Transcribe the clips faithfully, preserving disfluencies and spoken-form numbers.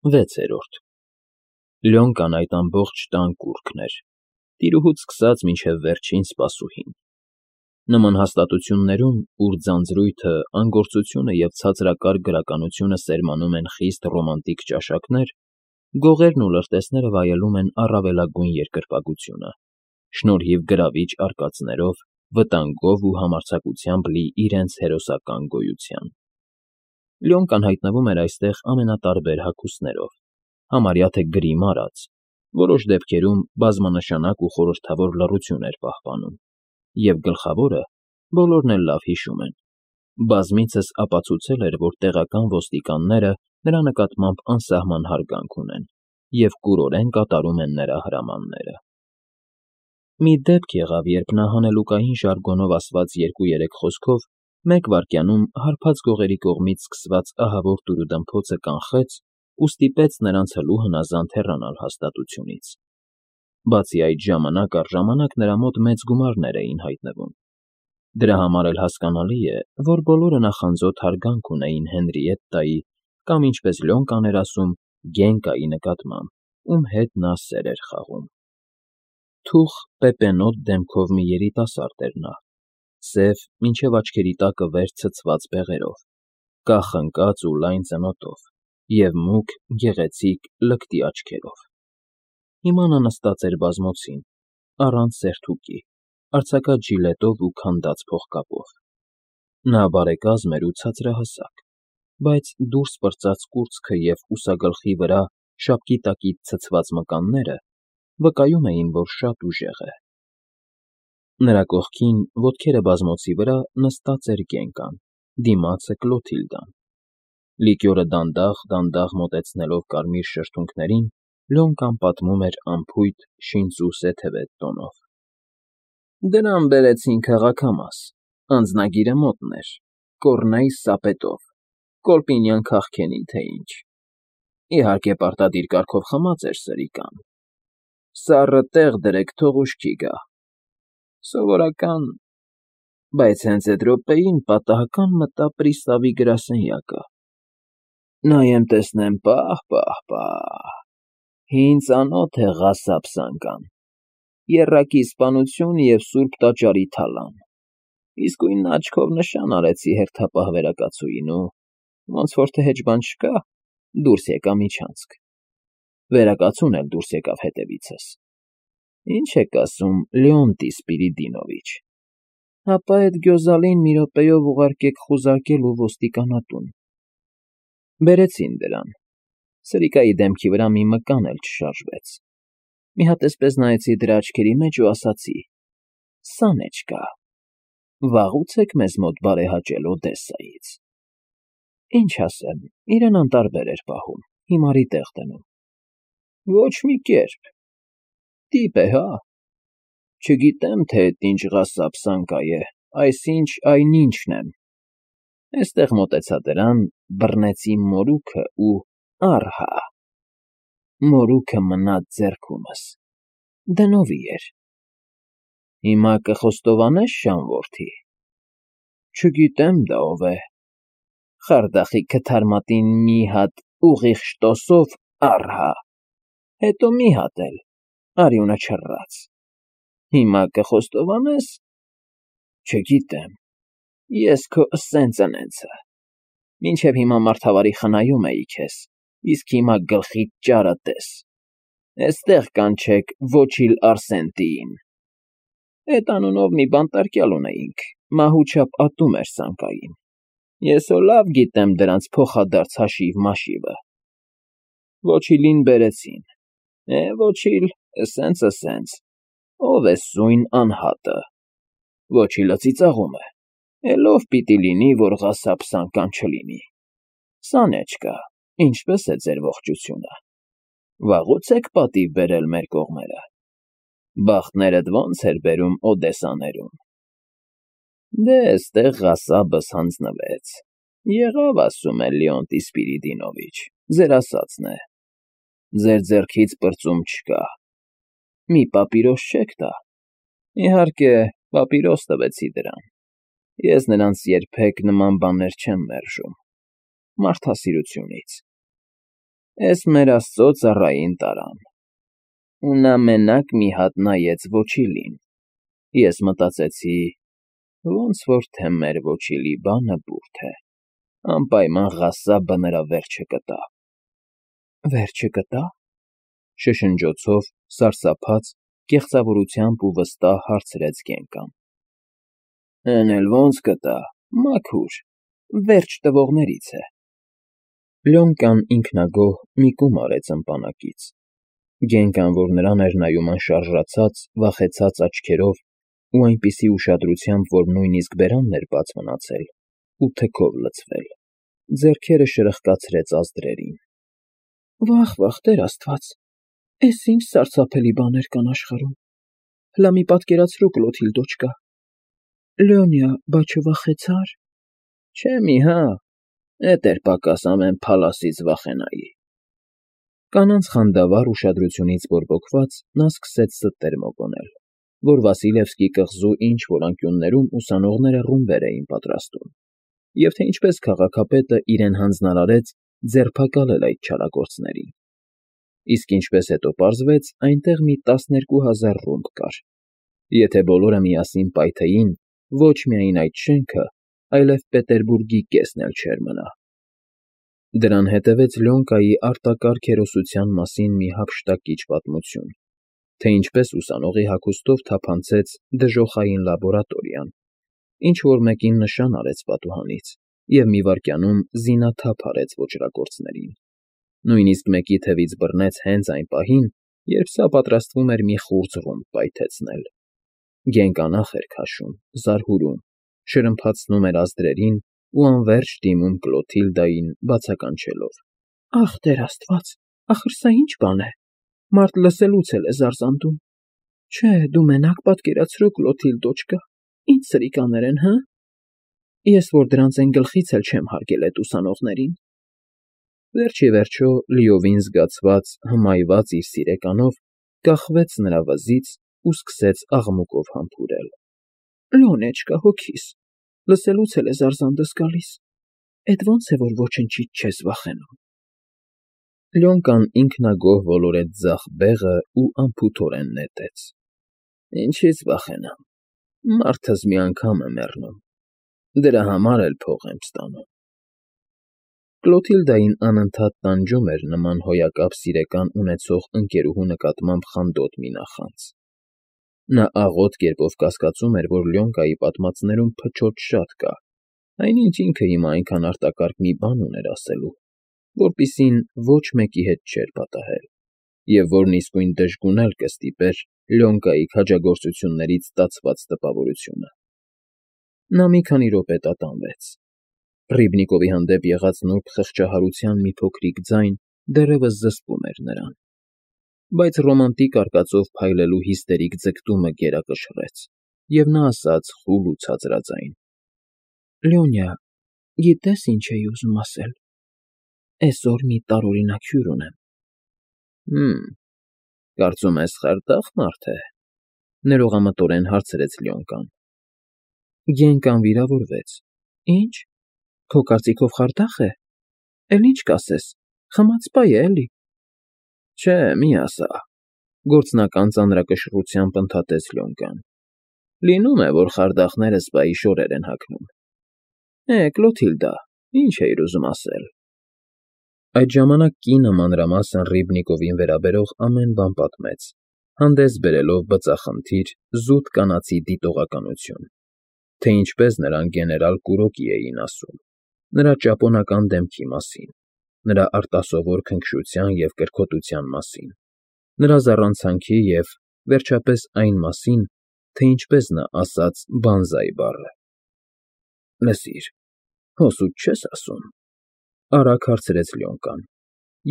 Վեցերորդ Լյոնկան այդ ամբողջ տան կուռքն էր, տիրուհուց սկսած մինչև վերջին սպասուհին։ Նման հաստատություններում, ուր ձանձրույթը, անգործությունը և ցածրակարգ գրականությունը սերմանում են խիստ ռոմանտիկ ճաշակներ, գողերն ու լրտեսները վայելում են առավելագույն երկրպագությունը, շնորհիվ գրավիչ արկածներով, վտանգով ու համարձակությամբ լի իրենց հերոսական գոյության։ Լյոնկան հայտնվում էր այստեղ ամենատարբեր հագուստներով, համարյա թե գրի մարած, որոշ դեպքերում բազմանշանակ ու խորհրդավոր լռություն էր պահպանում, և գլխավորը, բոլորն էլ լավ հիշում են, բազմիցս ապացուցել էր, որ տեղական ոստիկանները նրա նկատմամբ անսահման հարգանք ունեն և կուրորեն կատարում են նրա հրամանները։ Մի դեպք եղավ, երբ նա հանելուկային ժարգոնով ասված երկու֊երեք խոսքով մեկ վայրկյանում հարբած գողերի կողմից սկսված ահավոր տուրուդմփոցը կանխեց ու ստիպեց նրանց հլու հնազանդ հեռանալ հաստատությունից։ Բացի այդ, ժամանակ առ ժամանակ նրա մոտ մեծ գումարներ էին հայտնվում։ Դրա համար էլ հասկանալի է, որ բոլորը նախանձոտ հարգանք ունեին Հենրիետտայի կամ, ինչպես Լյոնկան էր ասում, Գենկայի նկատմամբ, ում հետ նա սեր էր խաղում։ Թուխ, պեպենոտ դեմքով մի երիտասարդ էր նա, սև, մինչև աչքերի տակը վեր ցցված բեղերով, կախ ընկած ու լայն ծնոտով և մուգ, գեղեցիկ, լկտի աչքերով։ Հիմա նա նստած էր բազմոցին, առանց սերթուկի, արձակած ժիլետով ու քանդած փողկապով։ Նա բարեկազմ էր ու ցածրահասակ, բայց դուրս պրծած կուրծքը և ուսագլխի վրա շապկի տակից ցցված մկանները վկայում էին, որ շատ ուժեղ է։ Նրա կողքին, ոտքերը բազմոցի վրա, նստած էր Գենկան, դիմացը Կլոթիլդան։ Լիկյորը դանդաղ֊դանդաղ մոտեցնելով կարմիր շրթունքներին, Լյոնկան պատմում էր անփույթ, շինծու սեթևետ տոնով. Դրան բերեցին քաղաքամաս, անձնագիրը մոտն էր, կոռնեյ սապետով, կոլպինյան քաղքենի, թե ինչ։ Իհարկե, պարտադիր կարգով խմած էր սրիկան։ Սառը տեղ դրեք, թող ուշքի գա։ Սովորական… Բայց հենց էդ րոպեին պատահական մտա պրիսավի գրասենյակը։ Նայեմ տեսնեմ, պահ֊պահ֊պահ… Հին ծանոթ է Ղասաբ֊Սանկան, եռակի սպանություն և սուրբ տաճարի թալան։ Իսկույն աչքով նշան արեցի հերթապահ վերակացուին ու, ոնց որ թե հեչ բան չկա, դուրս եկա միջանցք։ Վերակացուն էլ դուրս եկավ հետևիցս։ Ինչ եք ասում, Լեոնտի Սպիրիդոնովիչ, հապա էդ գյոզալին մի րոպեով ուղարկեք խուզարկելու ոստիկանատուն։ Բերեցին դրան, սրիկայի դեմքի վրա մի մկան էլ չշարժվեց։ Մի հատ էսպես նայեցի դրա աչքերի մեջ ու ասացի. «Սանեչկա, վաղուց եք մեզ մոտ բարեհաճել Օդեսայից»։ Ինչ ասեմ, իրեն անտարբեր էր պահում, հիմարի տեղ դնում։ Ոչ մի կերպ։ Տիպ է, հա։ Չգիտեմ, թե էդ ինչ Ղասաբ֊Սանկա է, այսինչ այնինչն եմ։ Էստեղ մոտեցա դրան, բռնեցի մորուքը ու… առհա… Մորուքը մնաց ձեռքումս, դնովի էր։ Հիմա կխոստովանե՞ս, շան որդի։ Չգիտեմ դա ով է։ Խարդախի քթարմատին մի հատ ուղիղ շտոսով, առհա… Հետո մի հատ էլ, արյունը չռած։ Հիմա կխոստովանե՞ս։ Չգիտեմ, ես քո սեն֊ծնենցը, մինչև հիմա մարդավարի խնայում էի քեզ, իսկ հիմա գլխիդ ճարը տես, էստեղ կանչեք Ոչիլ Արսենտիին։ Էդ անունով մի բանտարկյալ ունեինք, մահու չափ ատում էր Սանկային, ես հո լավ գիտեմ դրանց փոխադարձ հաշիվ֊մաշիվը։ Ոչիլին բերեցին, է, Ոչիլ, էսենց֊էսենց, ով է սույն անհատը։ Ոչիլը ծիծաղում է, էլ ով պիտի լինի, որ Ղասաբ֊Սանկան չլինի։ Սանեչկա, ինչպե՞ս է ձեր ողջությունը։ Վաղուց եք պատիվ բերել մեր կողմերը։ Բախտներդ ո՞նց էր բերում Օդեսաներում։ Դե, էստեղ Ղասաբս հանձնվեց, եղավ, ասում է Լեոնտի Սպիրիդոնովիչ, ձեր ասածն է։ Ձեր ձեռքից պրծում չկա։ Մի պապիրոս չեք տա։ Իհարկե, պապիրոս տվեցի դրան։ Ես նրանց երբեք նման բաներ չեմ մերժում, մարդասիրությունից։ Էս մեր Աստծո ծառային տարան, ու նա մենակ մի հատ նայեց ոչիլին, ես մտածեցի, ոնց որ թե մեր ոչիլի բանը բուրդ է, անպայման ղասաբը նրա վերջը կտա։ Վերջը կտա՞, շշնջոցով, սարսափած, կեղծավորությամբ ու վստահ հարցրեց Գենկան։ Էն էլ ոնց կտա, մաքուր, վերջ տվողներից է։ Լյոնկան ինքնագոհ մի կում արեց ըմպանակից։ Գենկան, որ նրան էր նայում անշարժացած, վախեցած աչքերով ու այնպիսի ուշադրությամբ, որ նույնիսկ բերանն էր բաց մնացել ու թքով լցվել, ձեռքերը շրխկացրեց ազդրերին։ Վա՜խ, Տեր Աստված, էս ինչ սարսափելի բաներ կան աշխարհում։ Հլա մի պատկերացրու, Կլոթիլդոչկա։ Լյոնյա, բա չվախեցա՞ր։ Չէ մի հա, էդ էր պակաս ամեն փալասից վախենայի։ Կանանց խանդավառ ուշադրությունից բորբոքված նա սկսեց ստեր մոգոնել, որ Վասիլևսկի կղզու ինչ֊որ անկյուններում ուսանողները ռումբեր էին պատրաստում, և թե ինչպես քաղաքապետը իրեն հանձնարարեց ձերբակալել այդ չարագործներին։ Իսկ ինչպես հետո պարզվեց, այնտեղ մի տասներկու հազար ռումբ կար։ Եթե բոլորը միասին պայթեին, ոչ միայն այդ շենքը, այլև Պետերբուրգի կեսն էլ չէր մնա։ Դրան հետևեց Լյոնկայի արտակարգ հերոսության մասին մի հափշտակիչ պատմություն, թե ինչպես ուսանողի հագուստով թափանցեց դժոխային լաբորատորիան, ինչ֊որ մեկին նշան արեց պատուհանից և մի վայրկյանում զինաթափ արեց ոճրագործներին, նույնիսկ մեկի թևից բռնեց հենց այն պահին, երբ սա պատրաստվում էր մի խուրձ ռումբ պայթեցնել։ Գենկան ախ էր քաշում, զարհուրում, շրմփացնում էր ազդրերին ու անվերջ դիմում Կլոթիլդային, բացականչելով. Ախ, Տեր Աստված, ախր սա ինչ բան է, մարդ լսելուց էլ է զարզանդում։ Չէ, դու մենակ պատկերացրու, Կլոթիլդոչկա, ինչ սրիկաներ են, հը։ Ես որ դրանց են գլխից էլ չեմ հարգել էդ ուսանողներին։ Վերջ ի վերջո, լիովին զգացված, հմայված իր սիրեկանով, կախվեց նրա վզից ու սկսեց աղմուկով համբուրել. Լյոնեչկա, հոգիս, լսելուց էլ է զարզանդս գալիս, էդ ոնց է, որ ոչնչից չես վախենում։ Լյոնկան ինքնագոհ ոլորեց ձախ բեղը ու անփութորեն նետեց. Ինչի՞ց վախենամ, մարդս մի անգամ է մեռնում, դրա համար էլ փող եմ ստանում։ Կլոթիլդային անընդհատ տանջում էր նման հոյակապ սիրեկան ունեցող ընկերուհու նկատմամբ խանդոտ մի նախանձ։ Նա աղոտ կերպով կասկածում էր, որ Լյոնկայի պատմածներում փչոտ շատ կա, այնինչ ինքը հիմա այնքան արտակարգ մի բան ուներ ասելու, որպիսին ոչ մեկի հետ չէր պատահել, և որն իսկույն դժգուն էլ կստիպեր Լյոնկայի քաջագործություններից ստացված տպավորությունը։ Նա մի քանի րոպե տատանվեց։ Ռիբնիկովի հանդեպ եղած նուրբ խղճահարության մի փոքրիկ ձայն դեռևս զսպում էր նրան, բայց ռոմանտիկ արկածով փայլելու հիստերիկ ձգտումը գերակշռեց, և նա ասաց խուլ ու ցածրաձայն. Լյոնյա, գիտե՞ս ինչ էի ուզում ասել։ Էսօր մի տարօրինակ հյուր ունեմ։ Հըմ, կարծում ես խարդախ մարդ է, ներողամտորեն հարցրեց Լյոնկան։ Գենկան վիրավորվեց։ Ինչ, քո կարծիքով խարդախ է։ Էլ ինչ կասես, խմած֊պա է էլի։ Չէ, մի ասա, գործնական ծանրակշռությամբ ընդհատեց Լյոնկան։ Լինում է, որ խարդախները սպայի շորեր են հագնում։ Է, Կլոթիլդա, ինչ էիր ուզում ասել։ Այդ ժամանակ կինը մանրամասն Ռիբնիկովին վերաբերող ամեն բան պատմեց, հանդես բերելով բծախնդիր, զուտ կանացի դիտողականություն, թե ինչպես նրան գեներալ Կուրոկի էին ասում, նրա ճապոնական դեմքի մասին, նրա արտասովոր քնքշության և կրքոտության մասին, նրա զառանցանքի և, վերջապես, այն մասին, թե ինչպես նա ասաց բանզայ բառը։ Լսիր, հո սուտ չես ասում, արագ հարցրեց Լյոնկան,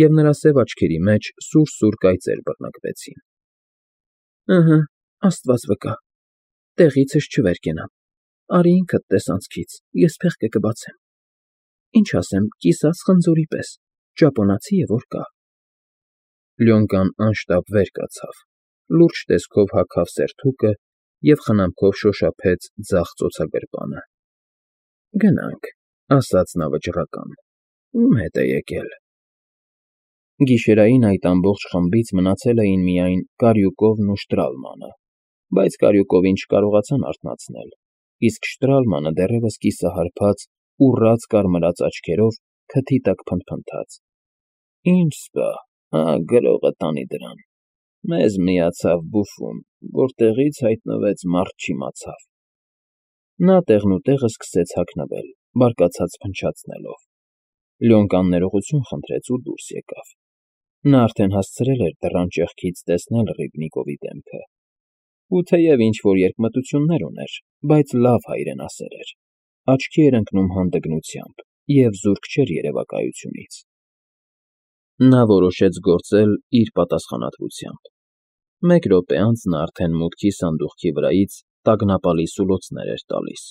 և նրա սև աչքերի մեջ սուր֊սուր կայծեր բռնկվեցին։ Ըհը, Աստված վկա, տեղիցս չվեր կենամ, արի ինքդ տես անցքից, ես փեղկը կբացեմ։ Ինչ ասեմ, կիսած խնձորի պես, ճապոնացի է որ կա։ Լյոնկան անշտապ վեր կացավ, լուրջ տեսքով հագավ սերթուկը և խնամքով շոշափեց ձախ ծոցագրպանը։ Գնանք, ասաց նա վճռական, ում հետ է եկել։ Գիշերային այդ ամբողջ խմբից մնացել էին միայն Կարյուկովն ու Շտրալմանը, բայց Կարյուկովին չկարողացան արթնացնել, իսկ Շտրալմանը դեռևս կիսահարբած, ուռած կարմրած աչքերով քթի տակ փնթփնթաց. ֊ Ինչ սպա, հա, գրողը տանի դրան, մեզ միացավ բուֆում, որտեղից հայտնվեց մարդ չիմացավ… Նա տեղնուտեղը սկսեց հագնվել, բարկացած փնչացնելով. Լյոնկան ներողություն խնդրեց ու դուրս եկավ. նա արդեն հասցրել էր դռան ճեղքից տեսնել Ռիբնիկովի դեմքը, ու թեև ինչ֊որ երկմտություններ ուներ, բայց լավ հայրենասեր էր, աչքի էր ընկնում հանդգնությամբ և զուրկ չէր երևակայությունից… Նա որոշեց գործել իր պատասխանատվությամբ. մեկ րոպե անց նա արդեն մուտքի սանդուղքի վրայից տագնապալի սուլոցներ էր տալիս։